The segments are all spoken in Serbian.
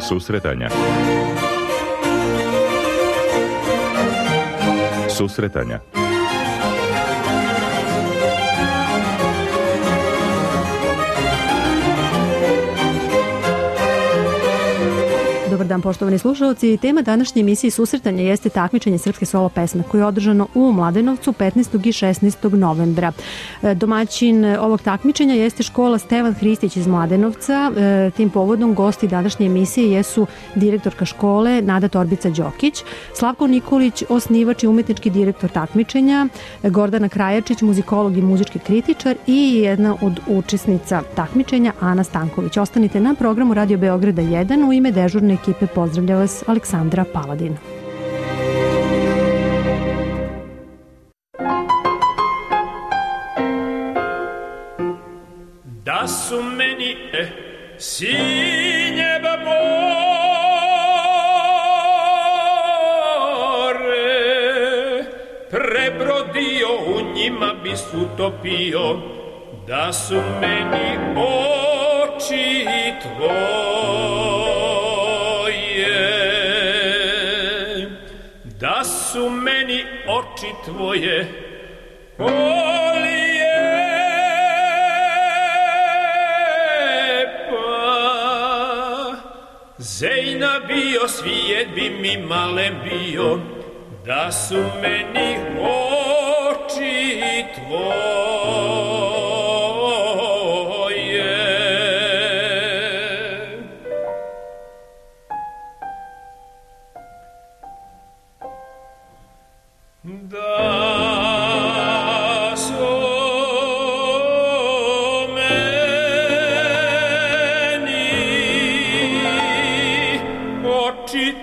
Susretanja. Susretanja. Dobar dan, poštovani slušalci. Tema današnje emisije Susretanja jeste takmičenje srpske solo pesme koje je održano u Mladenovcu 15. i 16. novembra. Domaćin ovog takmičenja jeste škola Stevan Hristić iz Mladenovca. Tim povodom gosti današnje emisije jesu direktorka škole Nada Torbica-Đokić, Slavko Nikolić, osnivač i umetnički direktor takmičenja, Gordana Krajačić, muzikolog i muzički kritičar i jedna od učesnica takmičenja Ana Stanković. Ostanite na programu Radio Beograda 1. U ime dežurne ekipe pozdravlja vas Aleksandra Paladin. Da su meni sinje more prebrodio, u njima bi utopio, da su meni oči tvoje, da su meni oči tvoje Zejna bio, svijet bi mi male bio, da su meni oči tvoje. Da su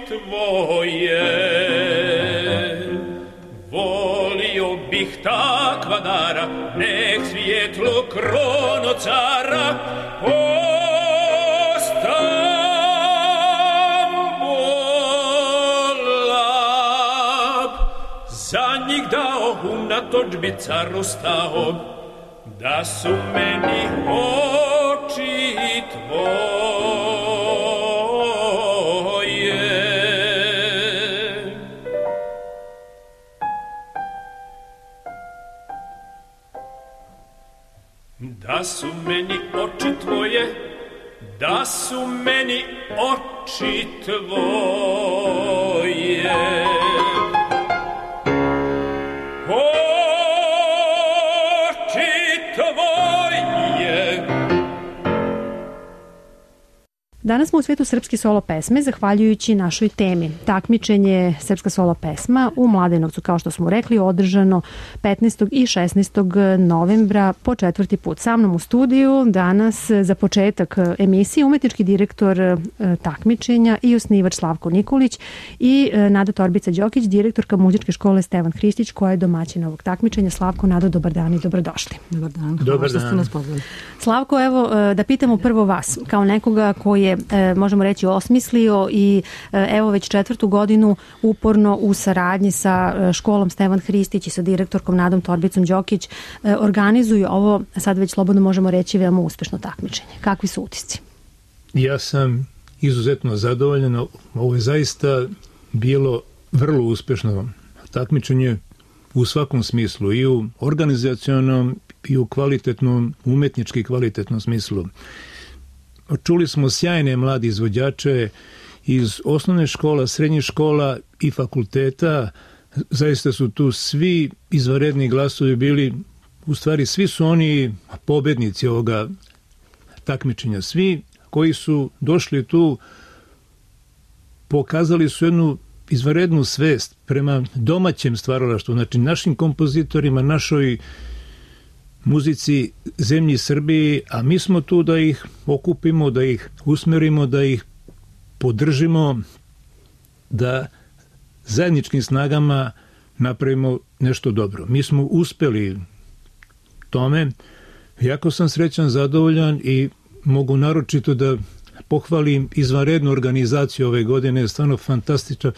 tvoje, volio bih takva dara, nek svijetlo krono cara Stambulab, za njih dao, unatoč bi caru stao, da su meni oči tvoje. Da su meni oči tvoje, da su meni oči tvoje. Oči tvoje. Danas smo u svetu srpske solo pesme, zahvaljujući našoj temi. Takmičenje srpska solo pesma u Mladenovcu, kao što smo rekli, održano 15. i 16. novembra po 4. put. Sa mnom u studiju danas za početak emisije umetnički direktor takmičenja i osnivač Slavko Nikolić i Nada Torbica-Đokić, direktorka muzičke škole Stevan Hristić, koja je domaćin ovog takmičenja. Slavko, Nado, dobar dan i dobrodošli. Dobar dan, hvala što ste nas pozvali. Slavko, evo da pitamo prvo vas, kao nekoga koji je, možemo reći, osmislio i evo već 4. godinu uporno u saradnji sa školom Stevan Hristić i sa direktorkom Nadom Torbicom-Đokić organizuju ovo, sad već slobodno možemo reći, veoma uspešno takmičenje. Kakvi su utisci? Ja sam izuzetno zadovoljan. Ovo je zaista bilo vrlo uspešno takmičenje u svakom smislu, i u organizacionom i u kvalitetnom, umetnički kvalitetnom smislu. Čuli smo sjajne mlade izvođače iz osnovne škola, srednjih škola i fakulteta. Zaista su tu svi izvanredni glasovi bili, u stvari svi su oni pobednici ovoga takmičenja. Svi koji su došli tu pokazali su jednu izvanrednu svest prema domaćem stvaralaštvu, znači našim kompozitorima, našoj muzici zemlji Srbiji, a mi smo tu da ih okupimo, da ih usmerimo, da ih podržimo, da zajedničkim snagama napravimo nešto dobro. Mi smo uspeli tome. Jako sam srećan, zadovoljan i mogu naročito da pohvalim izvanrednu organizaciju ove godine, stvarno fantastično.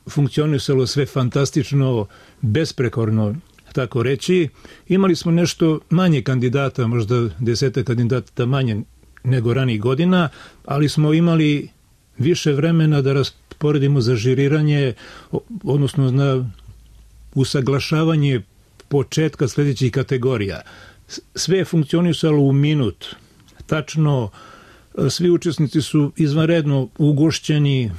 Funkcionisalo sve fantastično, besprekorno, tako reći. Imali smo nešto manje kandidata, možda 10 kandidata manje nego ranijih godina, ali smo imali više vremena da rasporedimo za žiriranje, odnosno na usaglašavanje početka sljedećih kategorija. Sve je funkcionisalo u minut. Tačno, svi učesnici su izvanredno ugošćeni,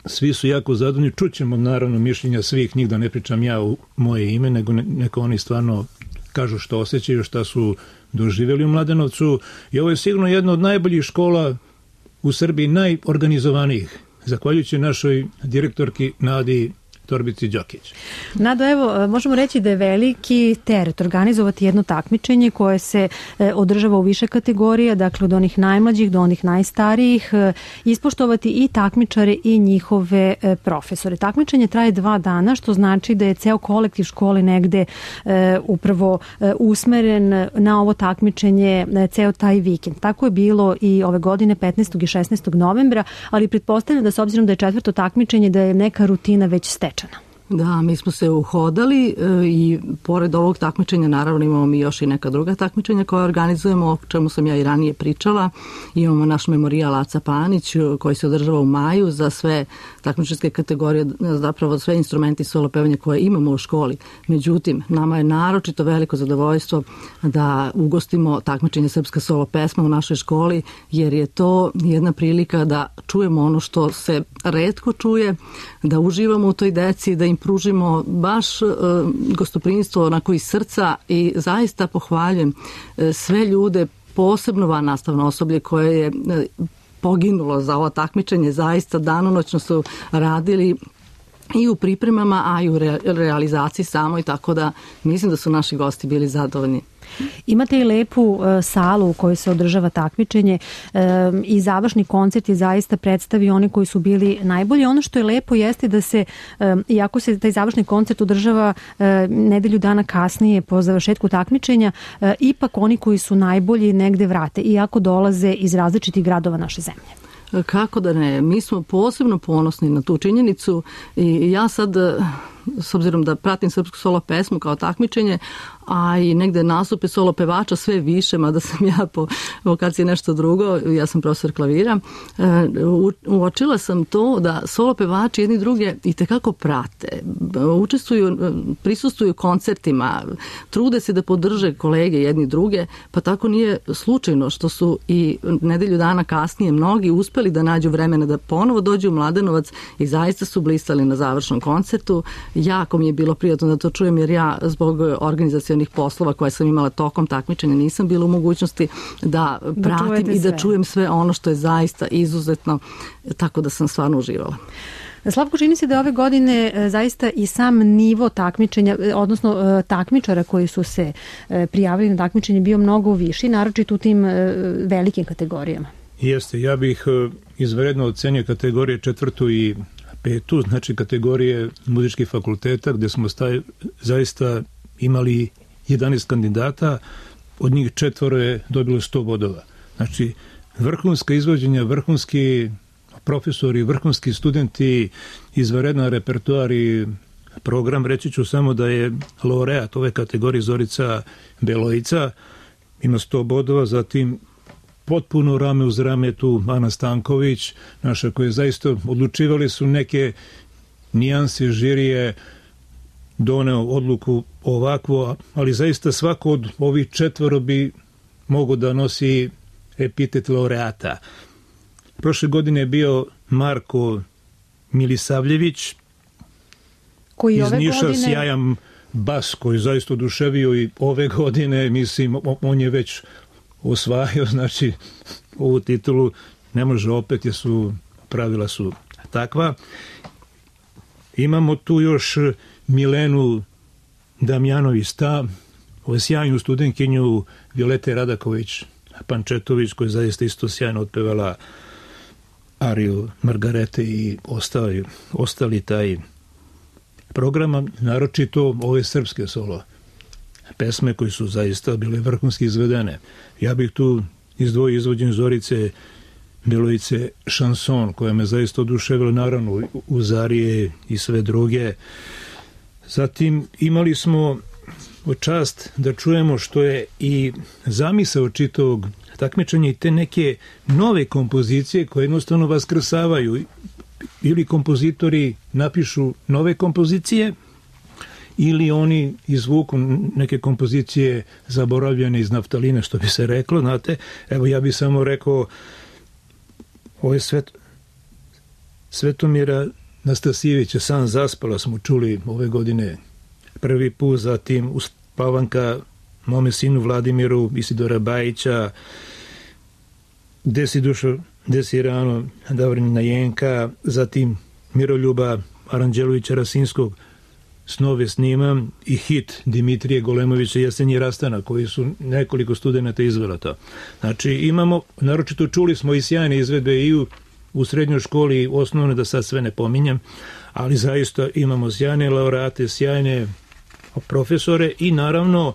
svi su jako zadovoljni. Čućemo naravno mišljenja svih njih, da ne pričam ja u moje ime, nego neka oni stvarno kažu što osjećaju, šta su doživjeli u Mladenovcu. I ovo je sigurno jedna od najboljih škola u Srbiji, najorganizovanijih, zahvaljujući našoj direktorki Nadi Torbici Đokić. Nado, evo, možemo reći da je veliki teret organizovati jedno takmičenje koje se održava u više kategorija, dakle od onih najmlađih do onih najstarijih, ispoštovati i takmičare i njihove profesore. Takmičenje traje 2 dana, što znači da je ceo kolektiv škole negde upravo usmeren na ovo takmičenje ceo taj vikend. Tako je bilo i ove godine 15. i 16. novembra, ali pretpostavljam da s obzirom da je 4. takmičenje, da je neka rutina već stečena. Da, mi smo se uhodali i pored ovog takmičenja naravno imamo mi još i neka druga takmičenja koje organizujemo, o čemu sam ja i ranije pričala. Imamo naš memorijal Aca Panić koji se održava u maju za sve takmičarske kategorije, zapravo sve instrumenti solo pevanja koje imamo u školi. Međutim, nama je naročito veliko zadovoljstvo da ugostimo takmičenje Srpska solo pesma u našoj školi, jer je to jedna prilika da čujemo ono što se retko čuje, da uživamo u toj deci, da im pružimo baš gostoprimstvo onako iz srca i zaista pohvaljujem sve ljude, posebno vannastavno osoblje koje je poginulo za ovo takmičenje, zaista danonoćno su radili i u pripremama, a i u realizaciji samoj, tako da mislim da su naši gosti bili zadovoljni. Imate i lepu salu u kojoj se održava takmičenje i završni koncert je zaista predstavio oni koji su bili najbolji. Ono što je lepo jeste da se, iako se taj završni koncert održava nedelju dana kasnije po završetku takmičenja, ipak oni koji su najbolji negde vrate, iako dolaze iz različitih gradova naše zemlje. Kako da ne, mi smo posebno ponosni na tu činjenicu i ja sad, s obzirom da pratim srpsku solo pesmu kao takmičenje, a i negde nastupe solo pevača sve više, mada sam ja po vokaciji nešto drugo, ja sam profesor klavira, uočila sam to da solo pevači jedni druge itekako prate, učestvuju, prisustuju koncertima, trude se da podrže kolege jedni druge, pa tako nije slučajno što su i nedelju dana kasnije mnogi uspeli da nađu vremena da ponovo dođu u Mladenovac i zaista su blistali na završnom koncertu. Jako mi je bilo prijatno da to čujem, jer ja zbog organizacionih poslova koje sam imala tokom takmičenja nisam bila u mogućnosti da pratim i da čujem sve ono što je zaista izuzetno, tako da sam stvarno uživala. Slavko, čini se da ove godine zaista i sam nivo takmičenja, odnosno takmičara koji su se prijavili na takmičenje bio mnogo viši, naročito u tim velikim kategorijama. Jeste, ja bih izvanredno ocenio kategorije 4. i 5. znači kategorije muzičkih fakulteta, gde smo zaista imali 11 kandidata, od njih 4 je dobilo 100 bodova. Znači, vrhunska izvođenja, vrhunski profesori, vrhunski studenti, izvanredan repertoar i program. Reći ću samo da je laureat ove kategorije Zorica Belojica, ima 100 bodova, zatim potpuno rame uz rame tu Ana Stanković, naša koja je zaista odlučivali su neke nijanse, žirije, doneo odluku ovakvo, ali zaista svako od ovih 4 bi mogao da nosi epitet laureata. Prošle godine je bio Marko Milisavljević, koji iz Niša, sjajan bas koji zaista oduševio i ove godine, mislim, on je već osvajao, znači ovu titulu ne može opet, jer su pravila su takva. Imamo tu još Milenu Damjanović-Sta, sjajnu studentkinju Violete Radaković-Pančetović, koja je zaista isto sjajno otpevala ariju Margarete i ostali taj program, naročito ove srpske solo pesme koji su zaista bile vrhunski izvedene. Ja bih tu izdvojio izvođenje Zorice Belojice Šanson, koja me zaista oduševila, naravno uz arije i sve druge. Zatim imali smo čast da čujemo što je i zamisao čitavog takmičenja i te neke nove kompozicije koje jednostavno vaskrsavaju. Ili kompozitori napišu nove kompozicije, ili oni izvuku neke kompozicije zaboravljene iz naftaline, što bi se reklo, znate. Evo, ja bih samo rekao, ovo je Svetomira Nastasijevića, San zaspala, smo čuli ove godine prvi put, zatim Uspavanka mome sinu Vladimiru, Isidora Bajića, Desi dušo, Desi rano, Davorina Jenka, zatim Miroljuba Aranđelovića Rasinskog, Snove snimam, i hit Dimitrije Golemovića Jesenji rastana, koji su nekoliko studenata izvela to. Znači imamo, naročito čuli smo i sjajne izvedbe i u srednjoj školi i osnovne, da sad sve ne pominjem, ali zaista imamo sjajne laureate, sjajne profesore i naravno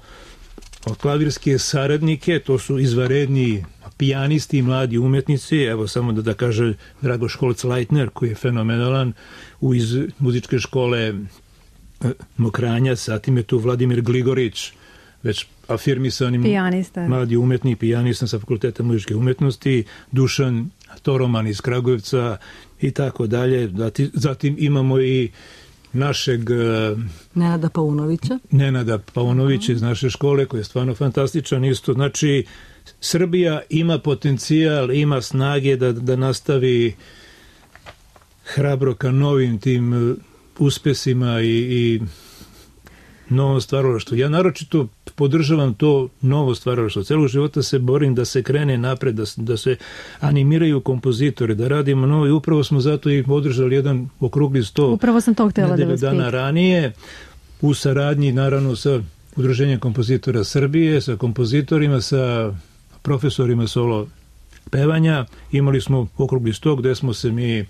klavirske saradnike, to su izvanredni pijanisti i mladi umetnici. Evo samo da kaže Drago Školc-Leitner, koji je fenomenalan iz muzičke škole Mokranjac, zatim je tu Vladimir Gligorić, već afirmisani pijanista, mladi umetnik, pijanista sa Fakulteta muzičke umetnosti, Dušan Toroman iz Kragujevca i tako dalje. Zatim imamo i našeg Nenada Paunovića iz naše škole, koji je stvarno fantastičan isto. Znači, Srbija ima potencijal, ima snage da nastavi hrabro ka novim tim uspesima i novom stvaralaštvu. Ja naročito podržavam to novo stvaralaštvo. Celog života se borim da se krene napred, da se animiraju kompozitori, da radimo novo, i upravo smo zato i održali jedan okrugli sto. Upravo sam to htjela da vas dana ranije, u saradnji naravno sa Udruženjem kompozitora Srbije, sa kompozitorima, sa profesorima solo pevanja. Imali smo okrugli sto gde smo se mi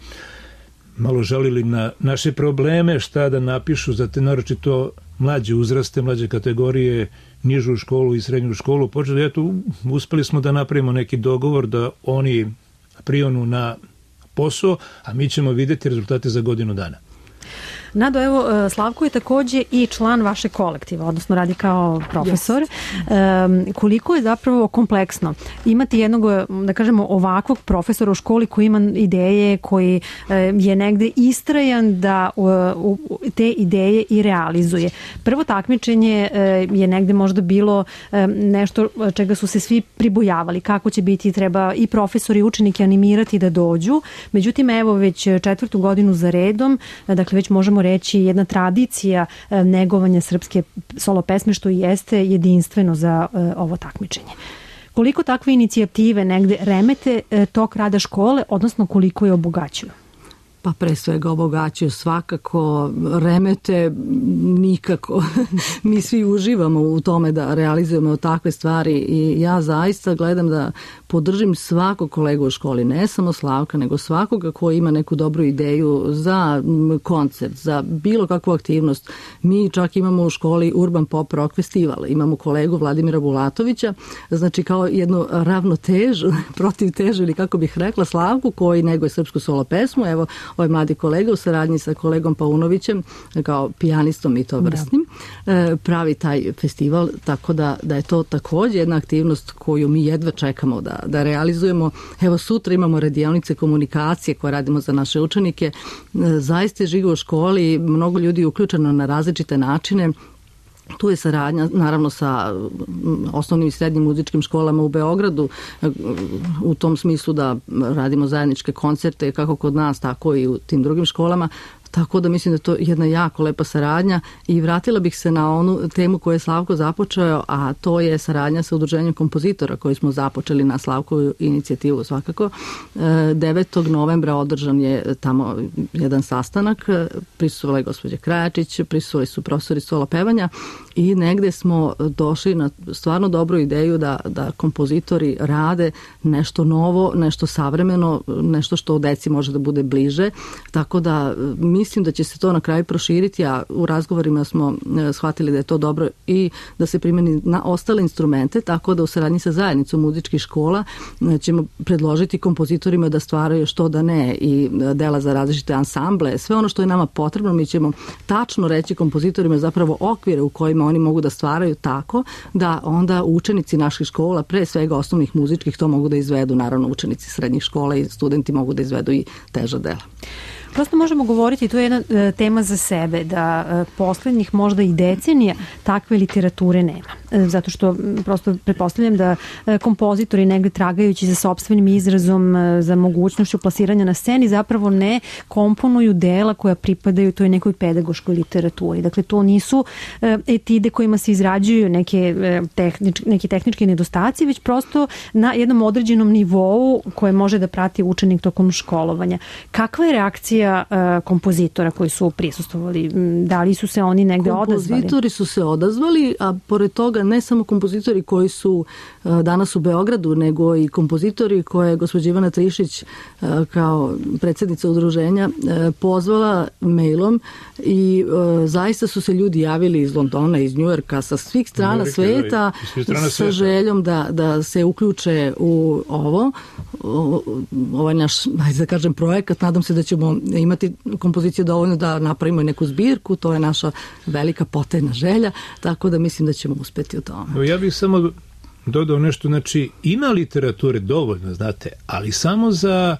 malo žalili na naše probleme, šta da napišu za te naročito mlađe uzraste, mlađe kategorije, nižu školu i srednju školu. Počeli, eto, uspeli smo da napravimo neki dogovor da oni prionu na posao, a mi ćemo vidjeti rezultate za godinu dana. Nado, evo, Slavko je takođe i član vašeg kolektiva, odnosno radi kao profesor. Koliko je zapravo kompleksno imati jednog, da kažemo, ovakvog profesora u školi koji ima ideje, koji je negde istrajan da te ideje i realizuje. Prvo takmičenje je negde možda bilo nešto čega su se svi pribojavali, kako će biti, treba i profesori i učenike animirati da dođu. Međutim, evo, već 4. godinu za redom, dakle već možemo reći jedna tradicija negovanja srpske solo pesme, što jeste jedinstveno za ovo takmičenje. Koliko takve inicijative negde remete tok rada škole, odnosno koliko je obogaćuju? Pa pre svega obogaćuju svakako, remete nikako. Mi svi uživamo u tome da realizujemo takve stvari i ja zaista gledam da podržim svakog kolegu u školi, ne samo Slavka, nego svakoga koji ima neku dobru ideju za koncert, za bilo kakvu aktivnost. Mi čak imamo u školi Urban Pop Rock Festival, imamo kolegu Vladimira Bulatovića, znači kao jednu ravnotežu, protivtežu ili kako bih rekla, Slavku koji neguje srpsku solo pesmu, evo ovaj mladi kolega u saradnji sa kolegom Paunovićem kao pijanistom i to vrsnim pravi taj festival, tako da je to također jedna aktivnost koju mi jedva čekamo da realizujemo. Evo sutra imamo radionice komunikacije koje radimo za naše učenike. Zaista je živo u školi, mnogo ljudi je uključeno na različite načine. Tu je saradnja naravno sa osnovnim i srednjim muzičkim školama u Beogradu u tom smislu da radimo zajedničke koncerte kako kod nas, tako i u tim drugim školama. Tako da mislim da je to jedna jako lepa saradnja i vratila bih se na onu temu koju je Slavko započeo, a to je saradnja sa Udruženjem kompozitora koju smo započeli na Slavkovu inicijativu svakako. 9. novembra održan je tamo jedan sastanak, prisustvovala je gospođa Krajačić, prisustvovali su profesori solo pevanja i negde smo došli na stvarno dobru ideju da kompozitori rade nešto novo, nešto savremeno, nešto što deci može da bude bliže, tako da mislim da će se to na kraju proširiti, a u razgovorima smo shvatili da je to dobro i da se primeni na ostale instrumente, tako da u saradnji sa zajednicom muzičkih škola ćemo predložiti kompozitorima da stvaraju što da ne i dela za različite ansamble. Sve ono što je nama potrebno mi ćemo tačno reći kompozitorima zapravo okvire u kojima kojima oni mogu da stvaraju tako da onda učenici naših škola, pre svega osnovnih muzičkih, to mogu da izvedu, naravno učenici srednjih škola i studenti mogu da izvedu i teža dela. Prosto možemo govoriti, to je jedna tema za sebe, da poslednjih možda i decenija takve literature nema. Zato što prosto pretpostavljam da kompozitori negde tragajući za sopstvenim izrazom, za mogućnošću plasiranja na sceni, zapravo ne komponuju dela koja pripadaju toj nekoj pedagoškoj literaturi. Dakle, to nisu etide kojima se izrađuju neki tehnički nedostaci, već prosto na jednom određenom nivou koje može da prati učenik tokom školovanja. Kakva je reakcija kompozitora koji su prisustvovali? Da li su se oni negde odazvali? Kompozitori su se odazvali, a pored toga ne samo kompozitori koji su danas u Beogradu, nego i kompozitori koje je gospođa Ivana Trišić kao predsjednica udruženja pozvala mailom i zaista su se ljudi javili iz Londona, iz Njujorka, sa svih strana sveta, sa željom da se uključe u ovaj naš, hajde da kažem, projekat. Nadam se da ćemo imati kompozicije dovoljno da napravimo neku zbirku, to je naša velika potajna želja, tako da mislim da ćemo uspeti u tome. Ja bih samo dodao nešto, znači ima literature dovoljno, znate, ali samo za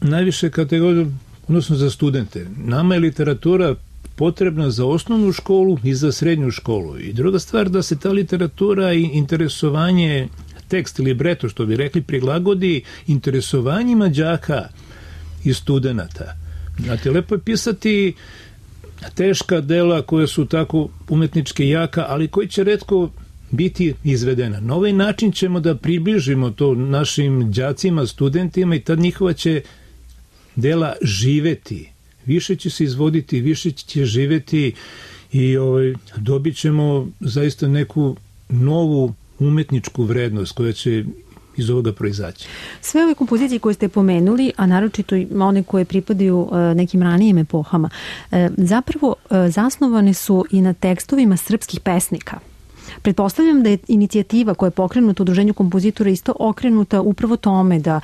najviše kategorije, odnosno za studente. Nama je literatura potrebna za osnovnu školu i za srednju školu. I druga stvar, da se ta literatura i interesovanje, tekst, libreto, što bi rekli, prilagodi interesovanjima đaka i studenata. Znate, lepo je pisati teška dela koja su tako umetnički jaka, ali koji će retko biti izvedena. Na ovaj način ćemo da približimo to našim đacima, studentima i tad njihova će dela živeti. Više će se izvoditi, više će živeti i dobit ćemo zaista neku novu umetničku vrednost koja će iz ovoga proizaći. Sve ove kompozicije koje ste pomenuli, a naročito one koje pripadaju nekim ranijim epohama, zapravo zasnovane su i na tekstovima srpskih pesnika. Pretpostavljam da je inicijativa koja je pokrenuta u Udruženju kompozitora isto okrenuta upravo tome da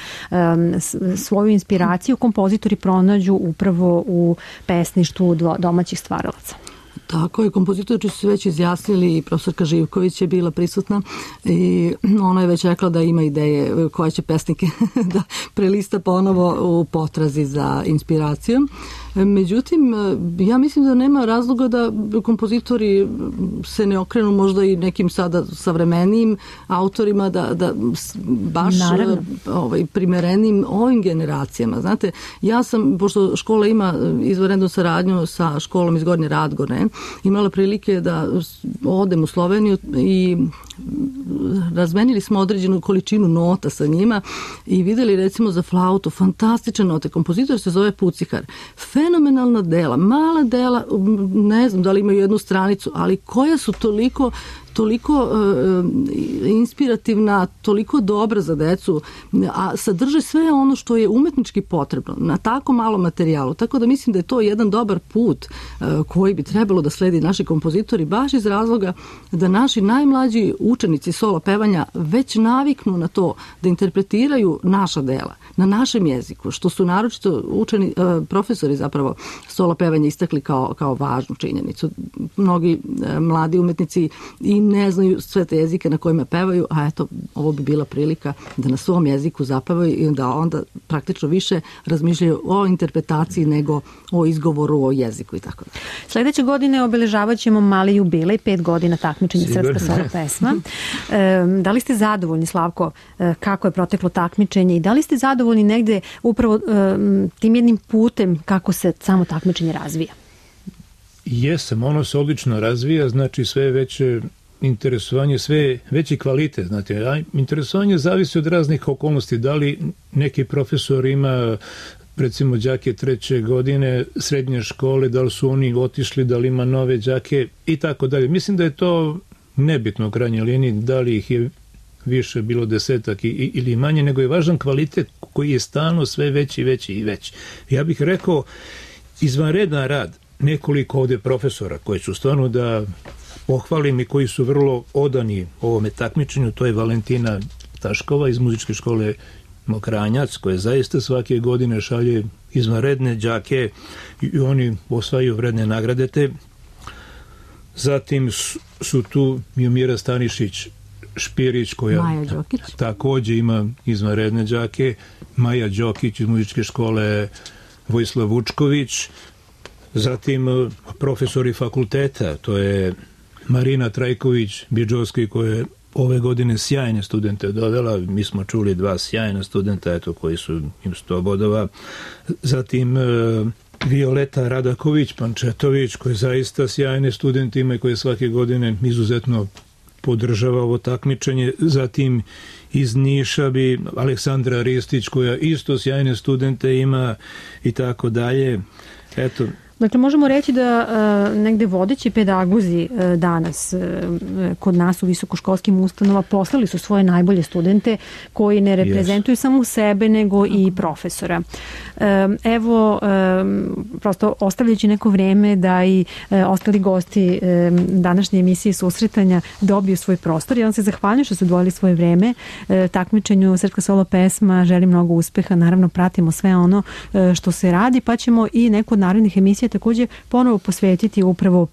svoju inspiraciju kompozitori pronađu upravo u pesništvu domaćih stvaralaca. Tako je, kompozitori su se već izjasnili i profesorka Živković je bila prisutna i ona je već rekla da ima ideje koje će pesnike da prelista ponovo u potrazi za inspiracijom. Međutim, ja mislim da nema razloga da kompozitori se ne okrenu možda i nekim sada savremenijim autorima da baš primerenim ovim generacijama. Znate, ja sam, pošto škola ima izvanrednu saradnju sa školom iz Gornje Radgone, imala prilike da odem u Sloveniju i razmenili smo određenu količinu nota sa njima i videli recimo za flautu fantastične note. Kompozitor se zove Pucihar. Fenomenalna dela, mala dela, ne znam da li imaju jednu stranicu, ali koja su toliko inspirativna, toliko dobra za decu, a sadrže sve ono što je umetnički potrebno na tako malom materijalu. Tako da mislim da je to jedan dobar put koji bi trebalo da sledi naši kompozitori, baš iz razloga da naši najmlađi učenici solo pevanja već naviknu na to da interpretiraju naša dela na našem jeziku, što su naročito profesori zapravo solo pevanja istakli kao važnu činjenicu. Mnogi mladi umetnici i ne znaju sve te jezike na kojima pevaju, a eto, ovo bi bila prilika da na svom jeziku zapevaju i da onda praktično više razmišljaju o interpretaciji nego o izgovoru, o jeziku i tako da. Sledeće godine obeležavat ćemo mali jubilej, 5 godina takmičenja Srpska solo pesma. Da li ste zadovoljni, Slavko, kako je proteklo takmičenje i da li ste zadovoljni negde upravo tim jednim putem kako se samo takmičenje razvija? Jesam, ono se odlično razvija, znači sve veće interesovanje, sve veći kvalitet, znate, a interesovanje zavisi od raznih okolnosti, da li neki profesor ima recimo đake 3. godine srednje škole, da li su oni otišli, da li ima nove đake i tako dalje. Mislim da je to nebitno u krajnjoj liniji, da li ih je više bilo 10 ili manje, nego je važan kvalitet koji je stalno sve veći, veći i veći. Ja bih rekao, izvanredan rad nekoliko ovde profesora koji su stvarno da pohvalim i koji su vrlo odani ovome takmičenju, to je Valentina Taškova iz muzičke škole Mokranjac, koja zaista svake godine šalje izvanredne đake i oni osvajaju vredne nagrade. Zatim su tu Miomira Stanišić Špirić, koja takođe ima izvanredne đake, Maja Đokić iz muzičke škole Vojislav Vučković, zatim profesori fakulteta, to je Marina Trajković Bidžovski, koja je ove godine sjajne studente dovela, mi smo čuli 2 sjajna studenta, eto, koji su im 100 bodova, zatim Violeta Radaković Pančetović, koji zaista sjajne studente ima i koje svake godine izuzetno podržava ovo takmičenje, zatim iz Niša bi Aleksandra Ristić, koja isto sjajne studente ima i tako dalje. Eto. Dakle, možemo reći da negde vodeći pedagozi danas kod nas u visokoškolskim ustanovama poslali su svoje najbolje studente koji ne reprezentuju samo sebe nego i profesora. Evo, prosto ostavljajući neko vreme da i ostali gosti današnje emisije susretanja dobiju svoj prostor. Ja vam se zahvaljujem što su odvojili svoje vreme takmičenju Srpska solo pesma. Želim mnogo uspeha. Naravno, pratimo sve ono što se radi, pa ćemo i neku od narednih emisija takođe ponovo posvetiti upravo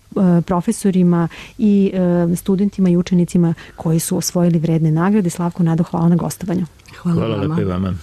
profesorima i studentima i učenicima koji su osvojili vredne nagrade. Slavko, Nado, hvala na gostovanju. Hvala lepo i vama.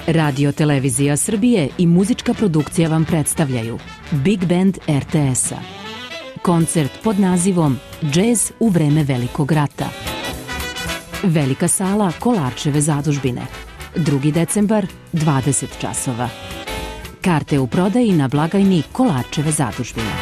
Radio Televizija Srbije i muzička produkcija vam predstavljaju Big Band RTS-a. Koncert pod nazivom Džez u vreme Velikog rata. Velika sala Kolarčeve zadužbine. 2. decembar, 20 časova. Karte u prodaji na blagajni Kolarčeve zadužbine.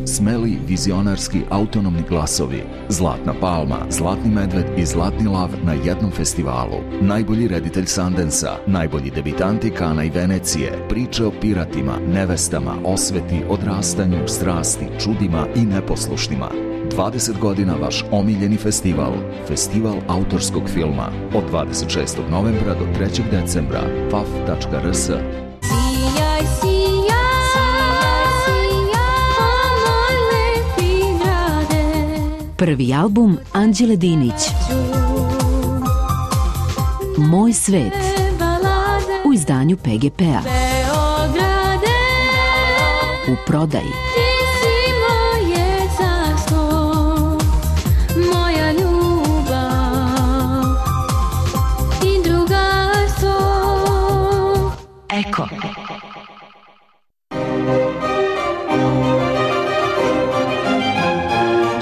Smeli, vizionarski, autonomni glasovi, Zlatna palma, Zlatni medved i Zlatni lav na jednom festivalu. Najbolji reditelj Sandensa, najbolji debitanti Kana i Venecije, priče o piratima, nevestama, osveti, odrastanju, strasti, čudima i neposlušnima. 20 godina vaš omiljeni festival, Festival autorskog filma, od 26. novembra do 3. decembra, faf.rs. Prvi album Anđele Dinić, Moj svet, u izdanju PGP-a. u prodaji. Eko.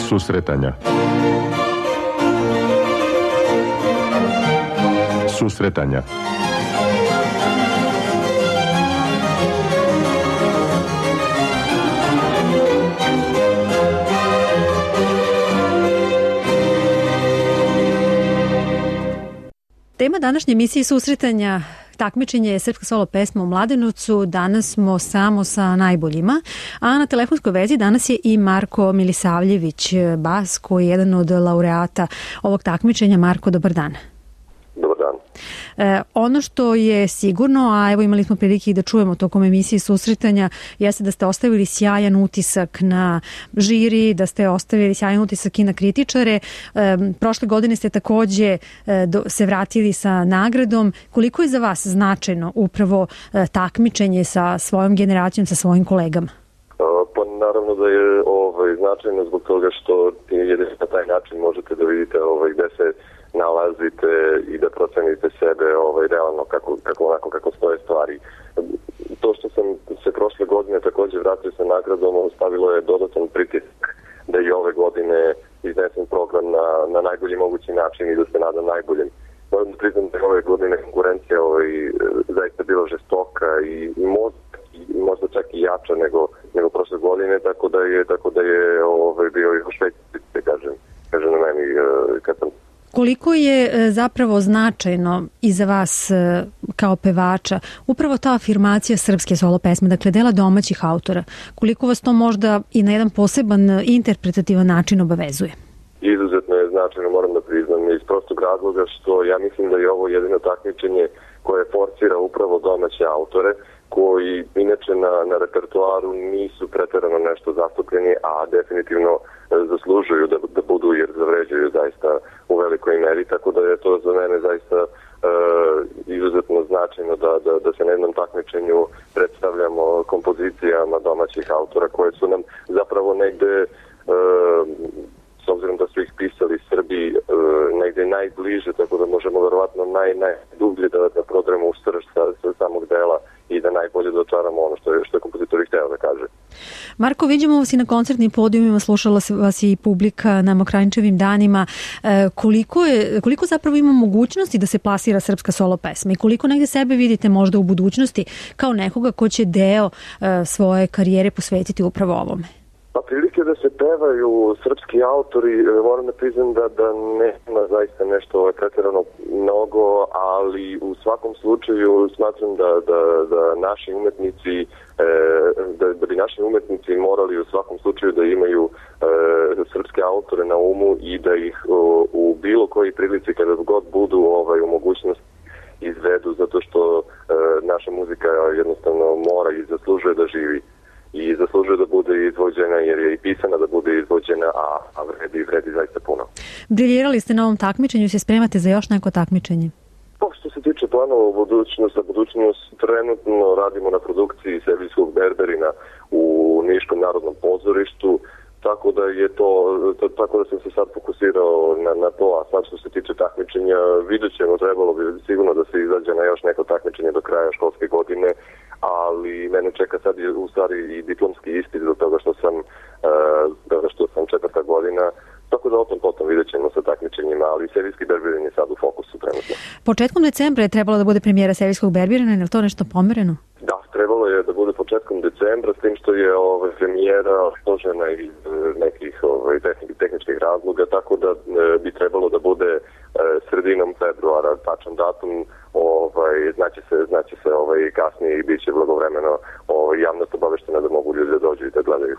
Susretanja. Susretanja. Tema današnje emisije susretanja takmičenje je srpska solo pesma u Mladenovcu. Danas smo samo sa najboljima, a na telefonskoj vezi danas je i Marko Milisavljević, bas, koji je jedan od laureata ovog takmičenja. Marko, dobar dan. Dobar dan. Ono što je sigurno, a evo imali smo prilike i da čujemo tokom emisije susretanja, jeste da ste ostavili sjajan utisak na žiri, da ste ostavili sjajan utisak i na kritičare. Prošle godine ste takođe se vratili sa nagradom. Koliko je za vas značajno upravo takmičenje sa svojom generacijom, sa svojim kolegama? Pa naravno da je značajno zbog toga što jedino na taj način možete da vidite gde se nalazite i da procenite sebe realno kako stoje stvari. To što sam se prošle godine takođe vratio sa nagradom, stavilo je dodatan pritisak da i ove godine iznesem program na najbolji mogući način i da se nadam najboljem. Moram da priznam da je ove godine konkurencija zaista bila žestoka i možda čak i jača nego prošle godine, tako da je bio još veći, kažem na meni kad sam. Koliko je zapravo značajno i za vas kao pevača upravo ta afirmacija srpske solo pesme, dakle dela domaćih autora? Koliko vas to možda i na jedan poseban interpretativan način obavezuje? Izuzetno je značajno, moram da priznam, iz prostog razloga što ja mislim da je ovo jedino takmičenje koje forcira upravo domaće autore, koji inače na repertoaru nisu preterano nešto zastupljeni, a definitivno zaslužuju da budu, jer zavređuju zaista u velikoj meri, tako da je to za mene zaista izuzetno značajno da se na jednom takmičenju predstavljamo kompozicijama domaćih autora koje su nam zapravo negde, s obzirom da su ih pisali Srbi, negde najbliže, tako da možemo verovatno najdublje da prodremo u srž sa samog dela i da najbolje dočaramo ono što je kompozitor hteo da kaže. Marko, vidimo vas i na koncertnim podijumima, slušala vas i publika na Mokranjčevim danima. Koliko zapravo ima mogućnosti da se plasira srpska solo pesma i koliko negde sebe vidite možda u budućnosti kao nekoga ko će deo svoje karijere posvetiti upravo ovome? Pa prilike da se pevaju srpski autori, moram da priznam da nema zaista nešto pretjerano mnogo, ali u svakom slučaju smatram da naši umetnici, da bi naši umetnici morali u svakom slučaju da imaju srpske autore na umu i da ih u bilo koji prilici kada god budu u mogućnosti izvedu, zato što naša muzika jednostavno mora i zaslužuje da živi. I zaslužuje da bude izvođena jer je i pisana da bude izvođena, a vredi zaista puno. Briljirali ste na ovom takmičenju, se spremate za još neko takmičenje? Što se tiče planova u budućnost, trenutno radimo na produkciji Seviljskog Berberina u Niškom narodnom pozorištu, tako da sam se sad fokusirao na to, a sad što se tiče takmičenja, vidjet ćemo, trebalo bi sigurno da se izađe na još neko takmičenje do kraja školske godine, ali mene čeka sad u stvari i diplomski ispit do toga što sam 4. godina, tako da potom vidjet ćemo sa takmičenjima, ali Seviljski Berberin je sad u fokusu trenutno. Početkom decembra je trebalo da bude premijera Seviljskog Berberina, je li to nešto pomereno? Da, trebalo je da bude početkom decembra, s tim što je premijera složena iz nekih tehničkih razloga, tako da bi trebalo da bude sredinom februara, tačan datum, znaće se kasnije i bit će blagovremeno javnost obaveštena da mogu ljudi da dođu i da gledaju.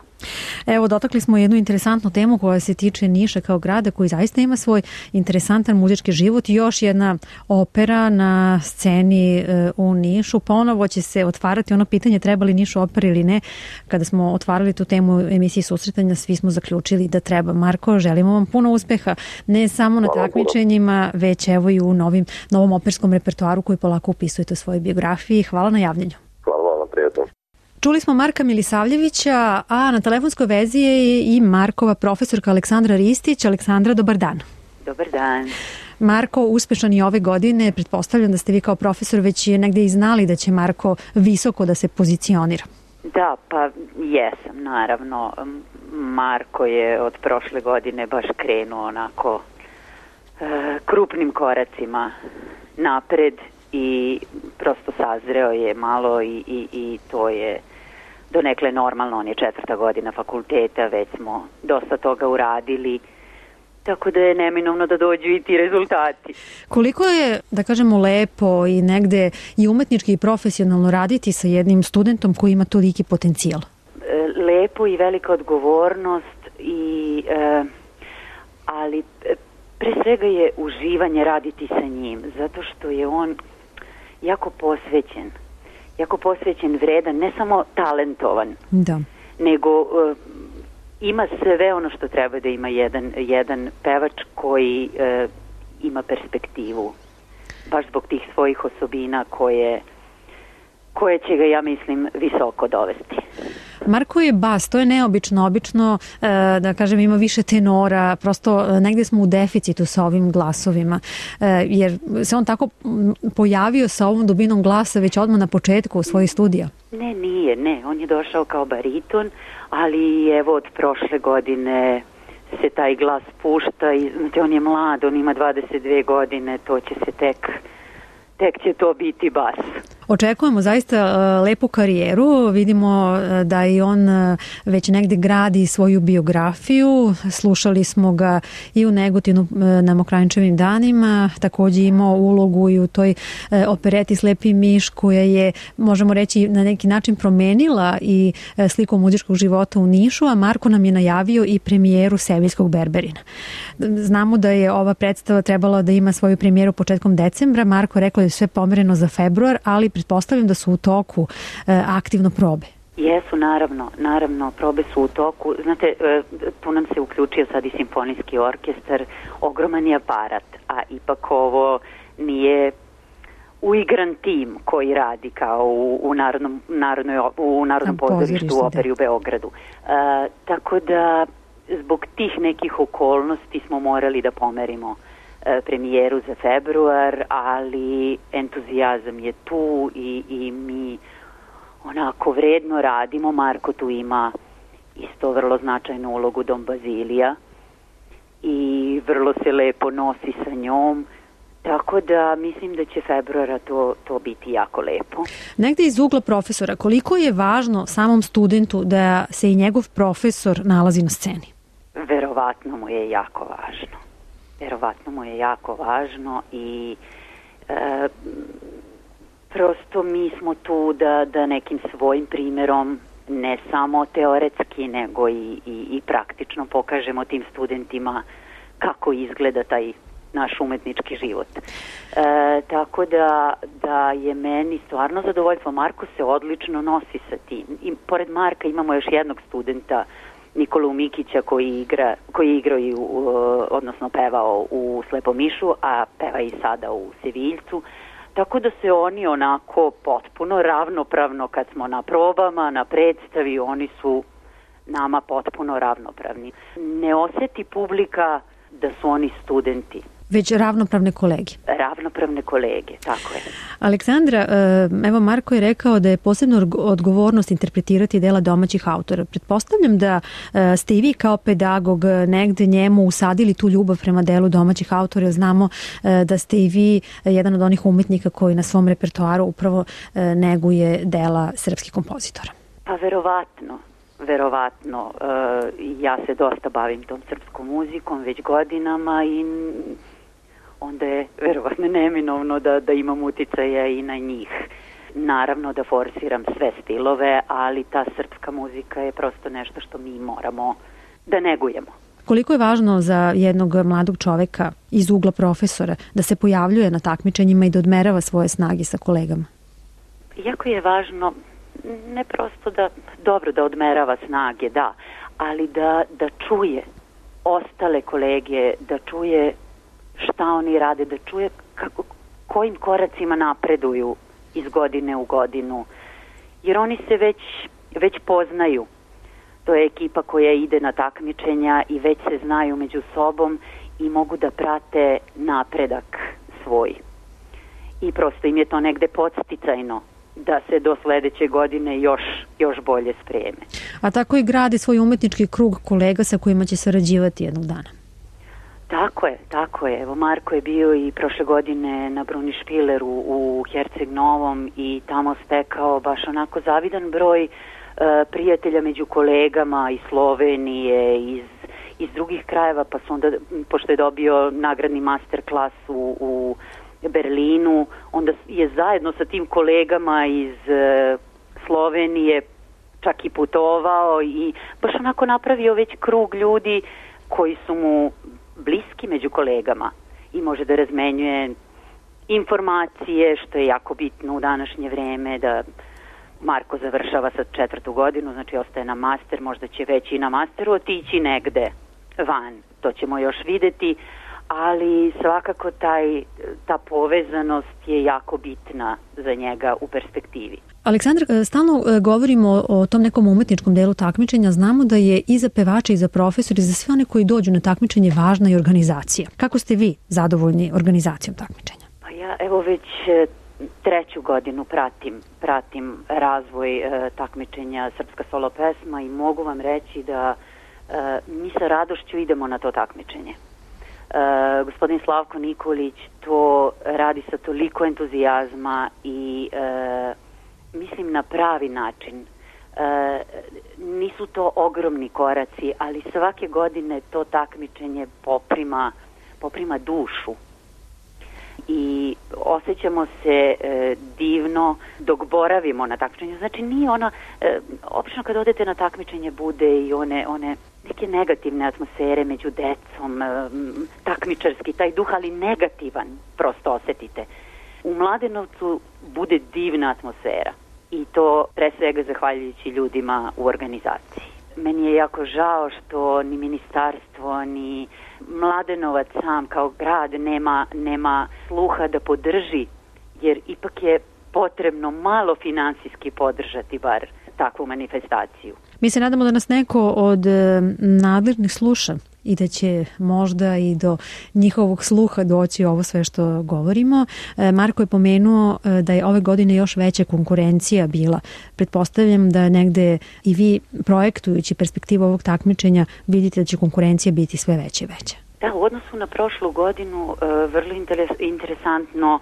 Evo, dotakli smo jednu interesantnu temu koja se tiče Niša kao grada koji zaista ima svoj interesantan muzički život i još jedna opera na sceni u Nišu. Ponovo će se otvarati ono pitanje treba li Nišu opera ili ne. Kada smo otvarali tu temu emisiji susretanja, svi smo zaključili da treba. Marko, želimo vam puno uspeha, ne samo na takmičenjima, već evo i u novom operskom repertoaru koji polako upisujete u svojoj biografiji. Hvala na javljanju. Hvala vam, prijatno. Čuli smo Marka Milisavljevića, a na telefonskoj vezi je i Markova profesorka Aleksandra Ristić. Aleksandra, dobar dan. Dobar dan. Marko, uspešan i ove godine. Pretpostavljam da ste vi kao profesor već negde i znali da će Marko visoko da se pozicionira. Da, pa jesam, naravno. Marko je od prošle godine baš krenuo onako krupnim koracima napred i prosto sazreo je malo i to je donekle normalno. On je 4. godina fakulteta, već smo dosta toga uradili, tako da je neminovno da dođu i ti rezultati. Koliko je, da kažemo, lepo i negde i umetnički i profesionalno raditi sa jednim studentom koji ima toliki potencijal? Lepo i velika odgovornost, ali pre svega je uživanje raditi sa njim, zato što je on jako posvećen, vredan, ne samo talentovan, da, nego ima sve ono što treba da ima jedan pevač koji ima perspektivu, baš zbog tih svojih osobina koje će ga, ja mislim, visoko dovesti. Marko je bas, to je neobično, obično, da kažem, ima više tenora, prosto negde smo u deficitu sa ovim glasovima, jer se on tako pojavio sa ovom dubinom glasa već odmah na početku svojih studija. Ne, on je došao kao bariton, ali evo od prošle godine se taj glas pušta i znate, on je mlad, on ima 22 godine, to će se tek će to biti bas. Očekujemo zaista lepu karijeru, vidimo da i on već negde gradi svoju biografiju, slušali smo ga i u Negotinu na Mokranjčevim danima, takođe imao ulogu i u toj opereti Slepi miš koja je, možemo reći, na neki način promenila i sliku muzičkog života u Nišu, a Marko nam je najavio i premijeru Seviljskog berberina. Znamo da je ova predstava trebala da ima svoju premijeru početkom decembra, Marko rekao da je sve pomereno za februar, ali pretpostavljam da su u toku aktivno probe. Jesu, naravno, probe su u toku. Znate, tu nam se uključio sad i simfonijski orkestar, ogroman je aparat, a ipak ovo nije uigran tim koji radi kao u Narodnom pozorištu u operi u Beogradu. Tako da zbog tih nekih okolnosti smo morali da pomerimo premijeru za februar, ali entuzijazam je tu i mi onako vredno radimo. Marko tu ima isto vrlo značajnu ulogu Dom Bazilija i vrlo se lepo nosi sa njom, tako da mislim da će februara to biti jako lepo. Negde iz ugla profesora, koliko je važno samom studentu da se i njegov profesor nalazi na sceni? Verovatno mu je jako važno i prosto mi smo tu da nekim svojim primjerom, ne samo teoretski, nego i praktično pokažemo tim studentima kako izgleda taj naš umetnički život. Tako da je meni stvarno zadovoljstvo. Marko se odlično nosi sa tim. I pored Marka imamo još jednog studenta, Nikolu Mikića, koji je igrao i odnosno pevao u Slepom mišu, a peva i sada u Seviljcu. Tako da se oni onako potpuno ravnopravno, kad smo na probama, na predstavi, oni su nama potpuno ravnopravni. Ne osjeti publika da su oni studenti. Već ravnopravne kolege. Ravnopravne kolege, tako je. Aleksandra, evo Marko je rekao da je posebna odgovornost interpretirati dela domaćih autora. Pretpostavljam da ste i vi kao pedagog negde njemu usadili tu ljubav prema delu domaćih autora. Znamo da ste i vi jedan od onih umetnika koji na svom repertoaru upravo neguje dela srpskih kompozitora. Pa verovatno. Ja se dosta bavim tom srpskom muzikom već godinama i onda je verovatno neminovno da imam uticaja i na njih. Naravno da forsiram sve stilove, ali ta srpska muzika je prosto nešto što mi moramo da negujemo. Koliko je važno za jednog mladog čoveka iz ugla profesora da se pojavljuje na takmičenjima i da odmerava svoje snage sa kolegama? Jako je važno ne prosto da odmerava snage, da, ali da čuje ostale kolege, da čuje šta oni rade, da čuje kojim koracima napreduju iz godine u godinu. Jer oni se već već poznaju. To je ekipa koja ide na takmičenja i već se znaju među sobom i mogu da prate napredak svoj. I prosto im je to negde podsticajno da se do sledeće godine još bolje spreme. A tako i gradi svoj umetnički krug kolega sa kojima će sarađivati jednog dana. Tako je. Evo, Marko je bio i prošle godine na Bruni Špileru u Herceg Novom i tamo stekao baš onako zavidan broj prijatelja među kolegama iz Slovenije, iz drugih krajeva, pa su onda, pošto je dobio nagradni master klas u Berlinu, onda je zajedno sa tim kolegama iz Slovenije čak i putovao i baš onako napravio već krug ljudi koji su mu bliski među kolegama i može da razmenjuje informacije, što je jako bitno u današnje vreme, da Marko završava sad 4. godinu, znači ostaje na master, možda će već i na masteru otići negde van, to ćemo još videti, ali svakako ta povezanost je jako bitna za njega u perspektivi. Aleksandar, stalno govorimo o tom nekom umetničkom delu takmičenja. Znamo da je i za pevače i za profesori i za sve one koji dođu na takmičenje važna i organizacija. Kako ste vi zadovoljni organizacijom takmičenja? Pa ja evo već 3. godinu pratim razvoj takmičenja Srpska solo pesma i mogu vam reći da mi sa radošću idemo na to takmičenje. Gospodin Slavko Nikolić to radi sa toliko entuzijazma i mislim na pravi način. Nisu to ogromni koraci, ali svake godine to takmičenje poprima dušu i osjećamo se divno dok boravimo na takmičenju. Znači nije ona, obično kad odete na takmičenje bude i one neke negativne atmosfere među decom, takmičarski taj duh, ali negativan prosto osetite. U Mladenovcu bude divna atmosfera i to pre svega zahvaljujući ljudima u organizaciji. Meni je jako žao što ni ministarstvo, ni Mladenovac sam kao grad nema sluha da podrži, jer ipak je potrebno malo finansijski podržati bar takvu manifestaciju. Mi se nadamo da nas neko od nadležnih sluša i da će možda i do njihovog sluha doći ovo sve što govorimo. Marko je pomenuo da je ove godine još veća konkurencija bila. Pretpostavljam da negde i vi projektujući perspektivu ovog takmičenja vidite da će konkurencija biti sve veća i veća. Da, u odnosu na prošlu godinu vrlo interesantno,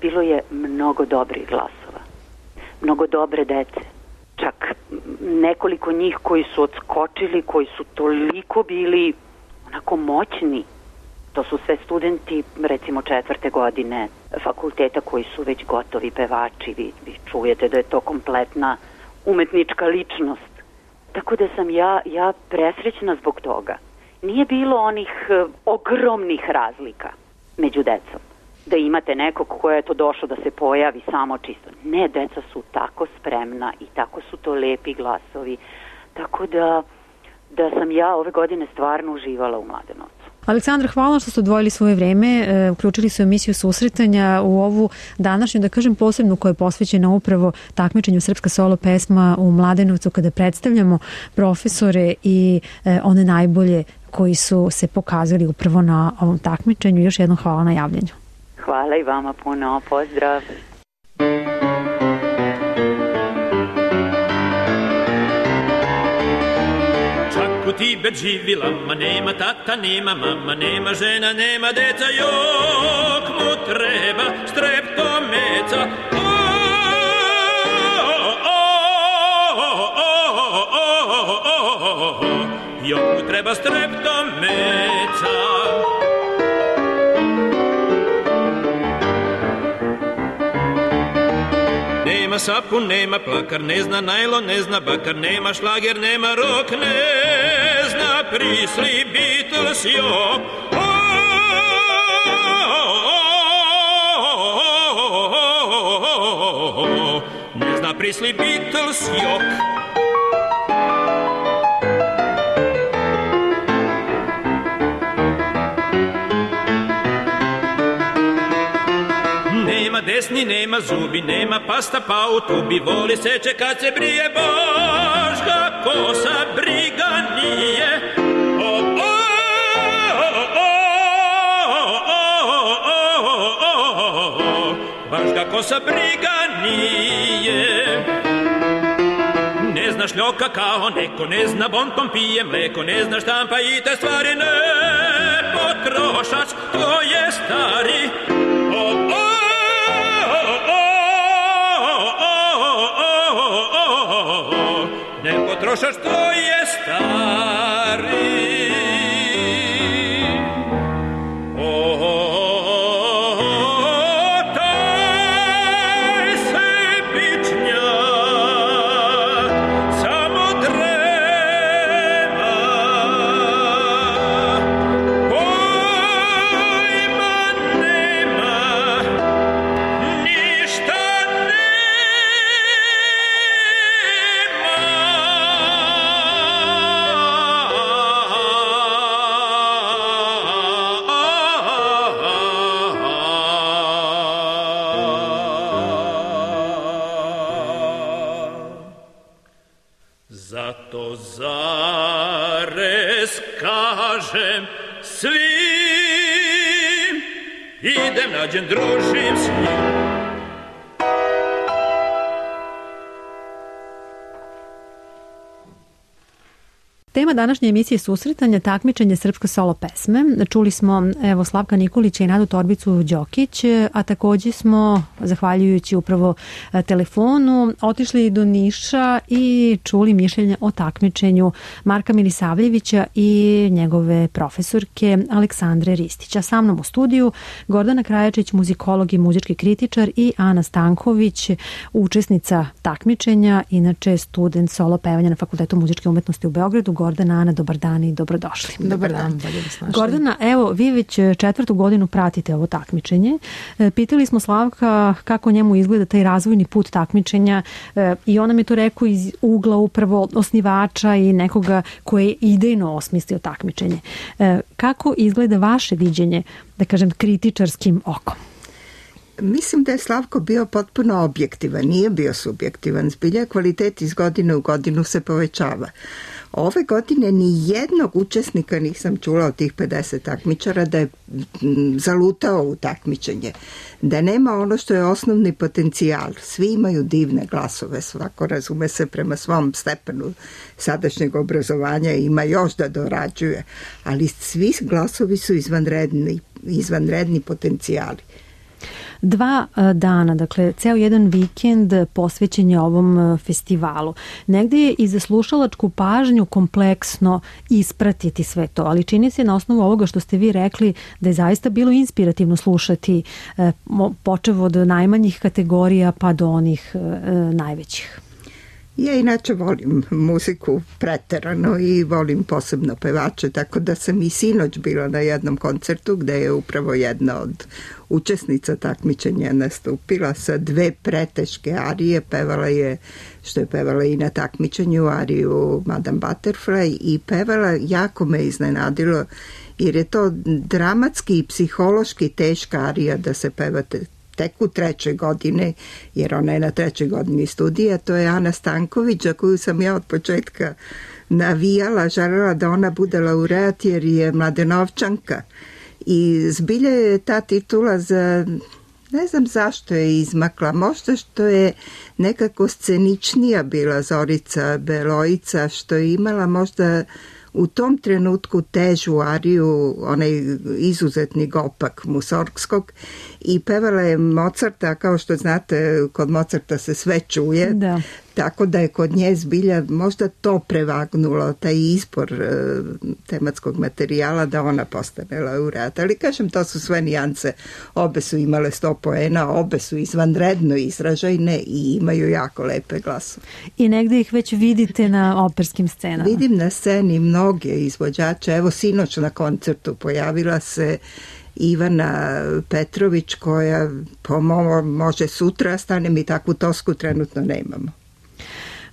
bilo je mnogo dobrih glasova, mnogo dobre dece. Čak nekoliko njih koji su odskočili, koji su toliko bili onako moćni. To su sve studenti, recimo 4. godine fakulteta koji su već gotovi pevači. Vi čujete da je to kompletna umetnička ličnost. Tako da sam ja presrećna zbog toga. Nije bilo onih ogromnih razlika među decom. Da imate nekog ko je to došao da se pojavi samo čisto. Ne, deca su tako spremna i tako su to lepi glasovi. Tako da sam ja ove godine stvarno uživala u Mladenovcu. Aleksandra, hvala što ste odvojili svoje vreme, uključili su emisiju Susretanja u ovu današnju, da kažem, posebnu koja je posvećena upravo takmičenju Srpska solo pesma u Mladenovcu, kada predstavljamo profesore i one najbolje koji su se pokazali upravo na ovom takmičenju. Još jednom hvala na javljanju. Hvala i vama puno. Pozdrav. Čak u Tibet živila, ma nema tata, nema mama, nema žena, nema deca, jok mu treba streptomeca. Jok mu treba streptomeca. Nema sapun, nema plakar, ne zna najlon, ne zna bakar, nema šlager, nema rok, ne zna prisli, Beatles, jok. Ne zna prisli, Beatles, jok. desni, nema zubi, nema pasta pa u tubi, voli seče kad se brije, baš ga kosa briga nije. Baš ga kosa briga nije. Ne zna šljoka kao neko, ne zna bontom pije mleko, ne zna štampa i te stvari, ne potrošač, to je stari. Ne potrošač, to je stari. Zato zarez kažem svim, idem nađem, družim s njim. Tema današnje emisije susretanja, takmičenje srpske solo pesme. Čuli smo Slavka Nikolića i Nadu Torbicu Đokić, a takođe smo, zahvaljujući upravo telefonu, otišli do Niša i čuli mišljenje o takmičenju Marka Milisavljevića i njegove profesorke Aleksandre Ristića. Sa mnom u studiju Gordana Krajačić, muzikolog i muzički kritičar, i Ana Stanković, učesnica takmičenja, inače student solo pevanja na Fakultetu muzičke umetnosti u Beogradu. Gordana, Ana, dobar dan i dobrodošli. Dobar dan. Gordana, evo, vi već 4. godinu pratite ovo takmičenje. Pitali smo Slavka kako njemu izgleda taj razvojni put takmičenja i on nam je to rekao iz ugla upravo osnivača i nekoga koji je idejno osmislio takmičenje. Kako izgleda vaše viđenje, da kažem, kritičarskim okom? Mislim da je Slavko bio potpuno objektivan, nije bio subjektivan. Zbilja kvalitet iz godine u godinu se povećava. Ove godine ni jednog učesnika nisam čula od tih 50 takmičara da je zalutao u takmičenje. Da nema ono što je osnovni potencijal. Svi imaju divne glasove, svako razume se prema svom stepenu sadašnjeg obrazovanja i ima još da dorađuje. Ali svi glasovi su izvanredni potencijali. 2 dana, dakle, ceo jedan vikend posvećen je ovom festivalu. Negde je i za slušalačku pažnju kompleksno ispratiti sve to, ali čini se na osnovu ovoga što ste vi rekli da je zaista bilo inspirativno slušati, počev od najmanjih kategorija pa do onih najvećih. Ja inače volim muziku preterano i volim posebno pevače, tako da sam i sinoć bila na jednom koncertu gde je upravo jedna od učesnica takmičenja nastupila sa 2 preteške arije. Pevala je, što je pevala i na takmičenju, ariju Madame Butterfly, i pevala, jako me iznenadilo, jer je to dramatski i psihološki teška arija da se pevate tek u 3. godine, jer ona je na 3. godini studija. To je Ana Stanković, za koju sam ja od početka navijala, želela da ona bude laureat jer je Mladenovčanka. I zbilja je ta titula ne znam zašto je izmakla, možda što je nekako sceničnija bila Zorica Belojica, što je imala možda u tom trenutku težu ariju, onaj izuzetni gopak Musorgskog, i pevala je Mozarta, kao što znate, kod Mozarta se sve čuje, da. Tako da je kod nje zbilja možda to prevagnulo, taj izbor tematskog materijala da ona postane laureat. Ali kažem, to su sve nijance. Obe su imale 100 poena, obe su izvanredno izražajne i imaju jako lepe glasove. I negde ih već vidite na operskim scenama? Vidim na sceni mnoge izvođače. Evo, sinoć na koncertu pojavila se Ivana Petrović, koja može sutra, stane mi takvu tosku, trenutno nemamo.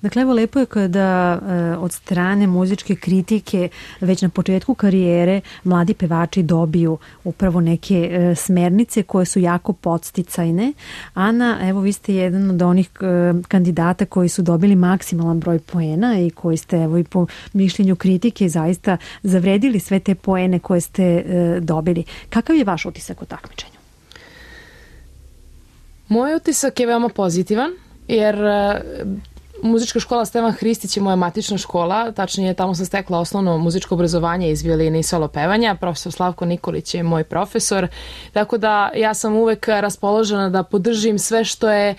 Dakle, evo lepo je kada od strane muzičke kritike već na početku karijere mladi pevači dobiju upravo neke smernice koje su jako podsticajne. Ana, evo vi ste jedan od onih kandidata koji su dobili maksimalan broj poena i koji ste evo i po mišljenju kritike zaista zavredili sve te poene koje ste dobili. Kakav je vaš utisak o takmičenju? Moj utisak je veoma pozitivan, jer muzička škola Stevan Hristić je moja matična škola, tačnije tamo sam stekla osnovno muzičko obrazovanje iz violine i solo pevanja, profesor Slavko Nikolić je moj profesor, tako da ja sam uvek raspoložena da podržim sve što je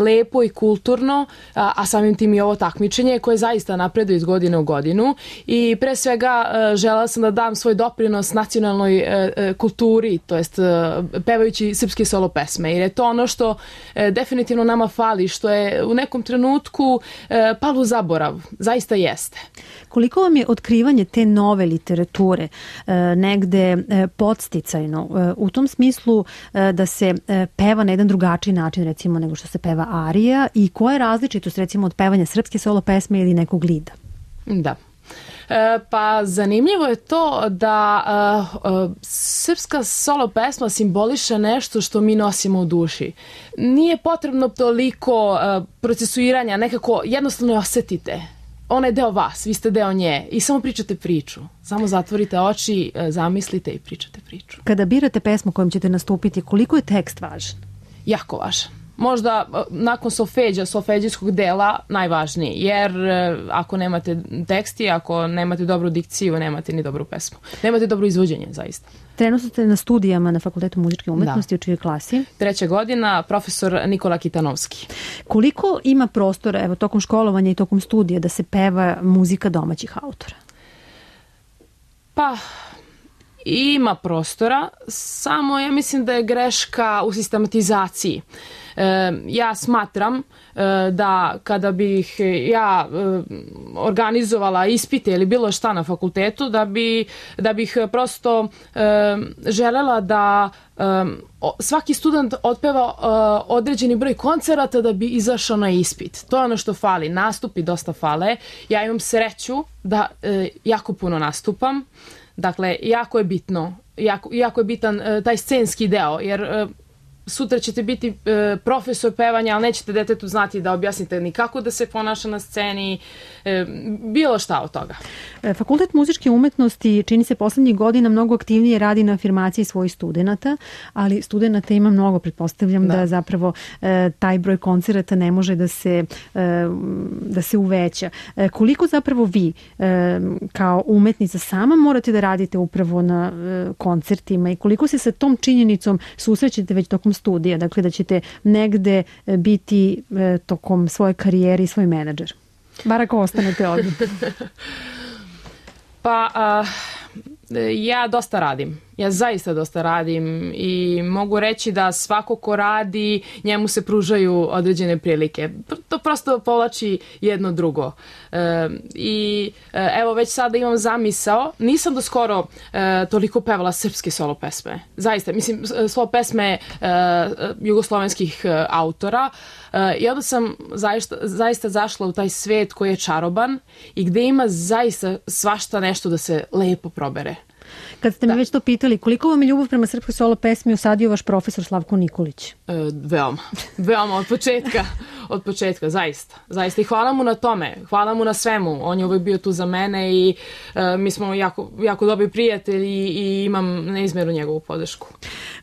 lepo i kulturno, a samim tim i ovo takmičenje koje zaista napreduje iz godine u godinu i pre svega želela sam da dam svoj doprinos nacionalnoj kulturi, to jest pevajući srpske solo pesme, jer je to ono što definitivno nama fali, što je u nekom trenutku palo u zaborav, zaista jeste. Koliko vam je otkrivanje te nove literature negde podsticajno u tom smislu da se peva na jedan drugačiji način recimo nego što se peva arija i koja je različitost recimo od pevanja srpske solo pesme ili nekog lida? Da. Pa zanimljivo je to da srpska solo pesma simboliše nešto što mi nosimo u duši. Nije potrebno toliko procesuiranja, nekako jednostavno je osetite. Ona je deo vas, vi ste deo nje i samo pričate priču. Samo zatvorite oči, zamislite i pričate priču. Kada birate pesmu kojom ćete nastupiti, koliko je tekst važan? Jako važan. Možda nakon solfeđijskog dela najvažniji, jer ako nemate teksti, ako nemate dobru dikciju, nemate ni dobru pesmu. Nemate dobro izvođenje, zaista. Trenutno ste na studijama na Fakultetu muzičke umetnosti, u čijoj klasi? 3. godina, profesor Nikola Kitanovski. Koliko ima prostora, evo, tokom školovanja i tokom studija da se peva muzika domaćih autora? Pa ima prostora, samo ja mislim da je greška u sistematizaciji. Ja smatram da kada bih ja organizovala ispite ili bilo šta na fakultetu, da bih prosto želela da svaki student otpeva određeni broj koncerata da bi izašao na ispit. To je ono što fali. Nastupi dosta fale. Ja imam sreću da jako puno nastupam. Dakle, jako je bitno, jako je bitan taj scenski deo, jer sutra ćete biti profesor pevanja, ali nećete detetu znati da objasnite ni kako da se ponaša na sceni, bilo šta od toga. Fakultet muzičke umetnosti čini se poslednjih godina mnogo aktivnije radi na afirmaciji svojih studenata, ali studenata ima mnogo, pretpostavljam da zapravo taj broj koncerata ne može da se uveća. Koliko zapravo vi kao umetnica sama morate da radite upravo na koncertima i koliko se sa tom činjenicom susrećete već tokom studija, dakle da ćete negde biti tokom svoje karijere i svoj menadžer? Bar ako ostanete ovdje. Pa ja dosta radim. Ja zaista dosta radim i mogu reći da svako ko radi, njemu se pružaju određene prilike. To prosto povlači jedno drugo. I evo već sada imam zamisao, nisam do skoro toliko pevala srpske solo pesme. Zaista, mislim, solo pesme jugoslovenskih autora i onda sam zaista zašla u taj svet koji je čaroban i gde ima zaista svašta nešto da se lepo probere. Kad ste mi već to pitali, koliko vam je ljubav prema srpskoj solo pesmi usadio vaš profesor Slavko Nikolić? Veoma, od početka, zaista. I hvala mu na tome, hvala mu na svemu. On je uvijek bio tu za mene i mi smo jako dobri prijatelji i imam neizmjernu njegovu podršku.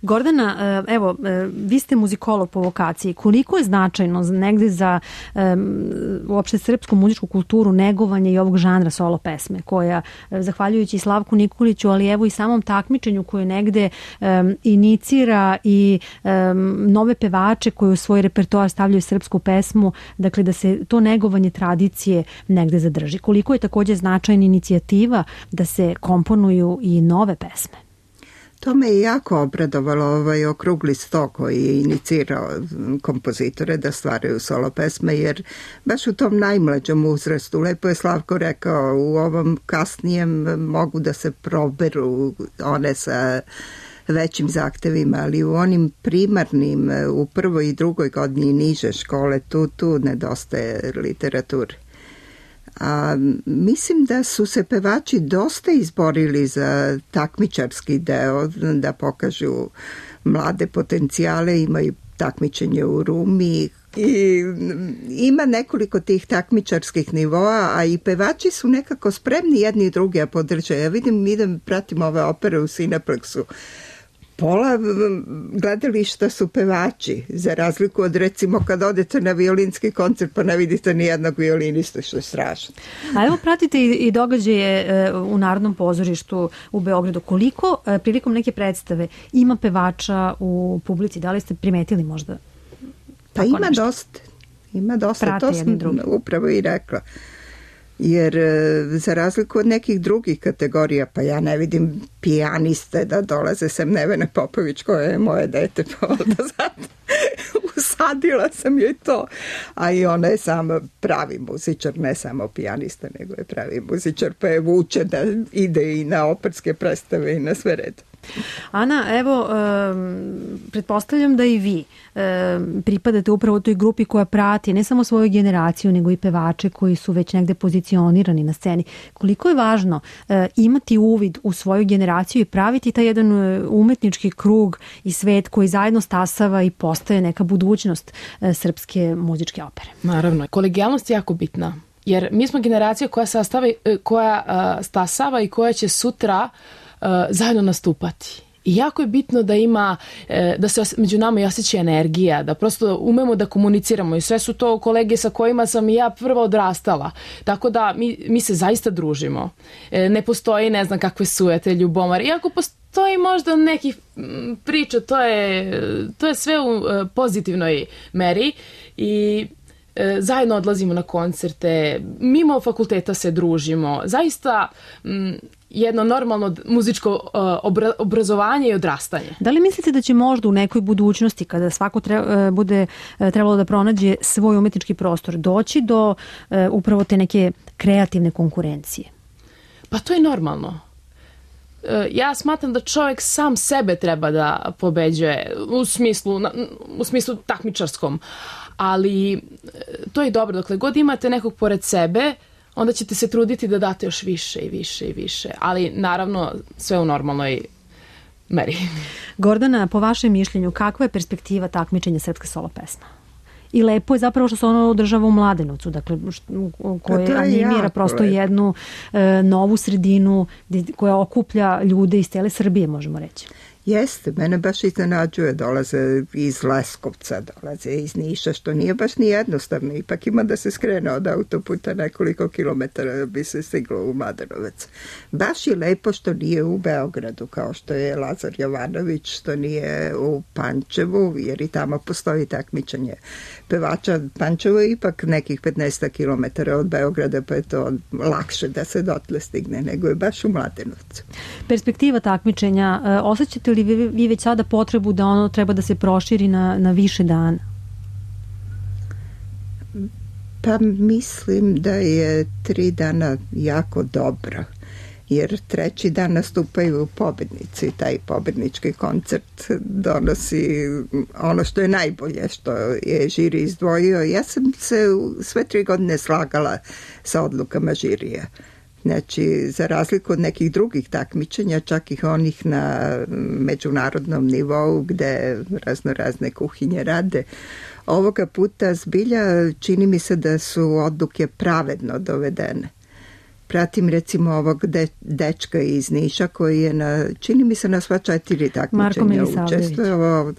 Gordana, evo, vi ste muzikolog po vokaciji. Koliko je značajno negde za uopšte srpsku muzičku kulturu negovanje i ovog žanra solo pesme, koja, zahvaljujući Slavku Nikoliću, ali evo i samom takmičenju koje negde inicira i nove pevače koji u svoj repertoar stavljaju srpsku pesmu, dakle da se to negovanje tradicije negde zadrži. Koliko je također značajna inicijativa da se komponuju i nove pesme? To me je jako obradovalo, ovaj okrugli sto koji je inicirao kompozitore da stvaraju solo pesme, jer baš u tom najmlađom uzrastu, lepo je Slavko rekao, u ovom kasnijem mogu da se proberu one sa većim zahtevima, ali u onim primarnim, u prvoj i drugoj godini niže škole, tu nedostaje literature. A mislim da su se pevači dosta izborili za takmičarski deo, da pokažu mlade potencijale, imaju takmičenje u Rumi i ima nekoliko tih takmičarskih nivoa, a i pevači su nekako spremni jedni i drugi a podrže. Ja idem, pratim ove opere u Cineplexu. Pola gledališta su pevači, za razliku od recimo kad odete na violinski koncert pa ne vidite ni jednog violinistu, što je strašno. A evo pratite i događaje u Narodnom pozorištu u Beogradu. Koliko prilikom neke predstave ima pevača u publici? Da li ste primetili možda? Pa ima dosta. Ima dosta. Prate to sam upravo i rekla. Jer za razliku od nekih drugih kategorija, pa ja ne vidim pijaniste da dolaze sem Nevene Popović koja je moje dete, pa onda usadila sam joj to, a i ona je sama pravi muzičar, ne samo pijanista, nego je pravi muzičar, pa je vuče da ide i na operske predstave i na sve red. Ana, evo, pretpostavljam da i vi pripadate upravo toj grupi koja prati ne samo svoju generaciju, nego i pevače koji su već negde pozicionirani na sceni. Koliko je važno imati uvid u svoju generaciju i praviti taj jedan umetnički krug i svet koji zajedno stasava i postaje neka budućnost srpske muzičke opere? Naravno, kolegijalnost je jako bitna. Jer mi smo generacija koja stasava i koja će sutra zajedno nastupati. I jako je bitno da ima, da se među nama i osjeća energija, da prosto umemo da komuniciramo i sve su to kolege sa kojima sam i ja prva odrastala. Tako da mi se zaista družimo. Ne postoji ne znam kakve sujete, ljubomare. Iako postoji možda nekih priča, to je sve u pozitivnoj meri i zajedno odlazimo na koncerte, mimo fakulteta se družimo. Zaista jedno normalno muzičko obrazovanje i odrastanje. Da li mislite da će možda u nekoj budućnosti, kada svako bude trebalo da pronađe svoj umetnički prostor, doći do upravo te neke kreativne konkurencije? Pa to je normalno. Ja smatram da čovjek sam sebe treba da pobeđuje u smislu takmičarskom, ali to je dobro. Dokle god imate nekog pored sebe, onda ćete se truditi da date još više i više i više. Ali naravno sve u normalnoj meri. Gordana, po vašem mišljenju, kakva je perspektiva takmičenja srpske solo pesma? I lepo je zapravo što se ono održava u Mladenovcu, dakle, koje animira prosto jednu novu sredinu koja okuplja ljude iz cele Srbije, možemo reći. Jeste, mene baš iznenađuje, dolaze iz Leskovca, dolaze iz Niša, što nije baš ni jednostavno, ipak ima da se skrene od autoputa nekoliko kilometara da bi se stiglo u Mladenovac. Baš je lepo što nije u Beogradu, kao što je Lazar Jovanović, što nije u Pančevu, jer i tamo postoji takmičenje pevača. Pančevo je ipak nekih 15 kilometara od Beograda, pa je to lakše da se dotle stigne, nego je baš u Mladenovcu. Perspektiva takmičenja, osjećate li vi već sada potrebu da ono treba da se proširi na više dana? Pa mislim da je 3 dana jako dobro, jer 3. dan nastupaju pobednici. Taj pobednički koncert donosi ono što je najbolje, što je žiri izdvojio. Ja sam se sve 3 godine slagala sa odlukama žirija. Znači, za razliku od nekih drugih takmičenja, čak i onih na međunarodnom nivou gde razne kuhinje rade, ovoga puta zbilja čini mi se da su odluke pravedno dovedene. Pratim recimo ovog dečka iz Niša koji je čini mi se na sva 4 takmičenja učestvovao.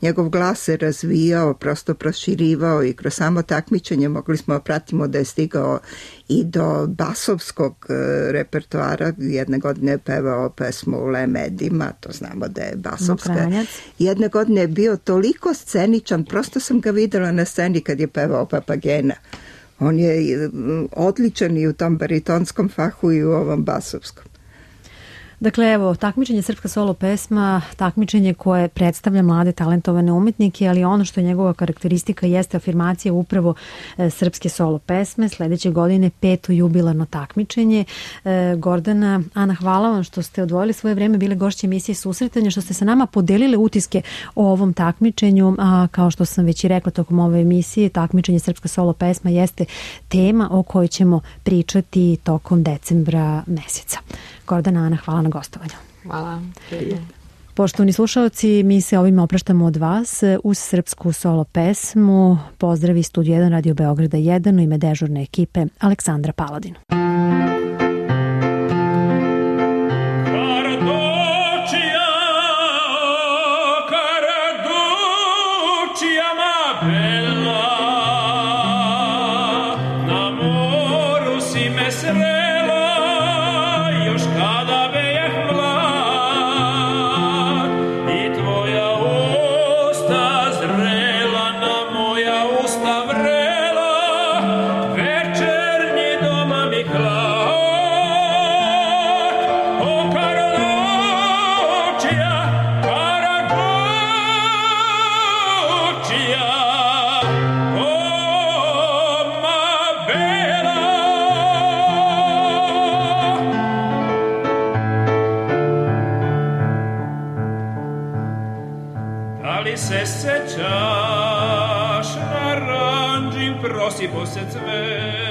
Njegov glas se razvijao, prosto proširivao i kroz samo takmičenje mogli smo pratimo da je stigao i do basovskog repertoara. Jedne godine je pevao pesmu u Le Medima, to znamo da je basovska. Jedne godine je bio toliko sceničan, prosto sam ga videla na sceni kad je pevao Papagena. On je odličan i u tom baritonskom fahu i u ovom basovskom. Dakle, evo, takmičenje Srpska solo pesma, takmičenje koje predstavlja mlade talentovane umetnike, ali ono što je njegova karakteristika jeste afirmacija upravo srpske solo pesme. Sledeće godine 5. jubilarno takmičenje. Gordana, Ana, hvala vam što ste odvojili svoje vreme, bile gošće emisije Susretanje, što ste sa nama podelili utiske o ovom takmičenju, a kao što sam već i rekla tokom ove emisije, takmičenje Srpska solo pesma jeste tema o kojoj ćemo pričati tokom decembra meseca. Gordana, Ana, hvala na gostovanju. Hvala. Poštovani slušalci, mi se ovim opraštamo od vas uz srpsku solo pesmu. Pozdravi Studio 1 Radio Beograda 1 u ime dežurne ekipe Aleksandra Paladin. Prosi po se cve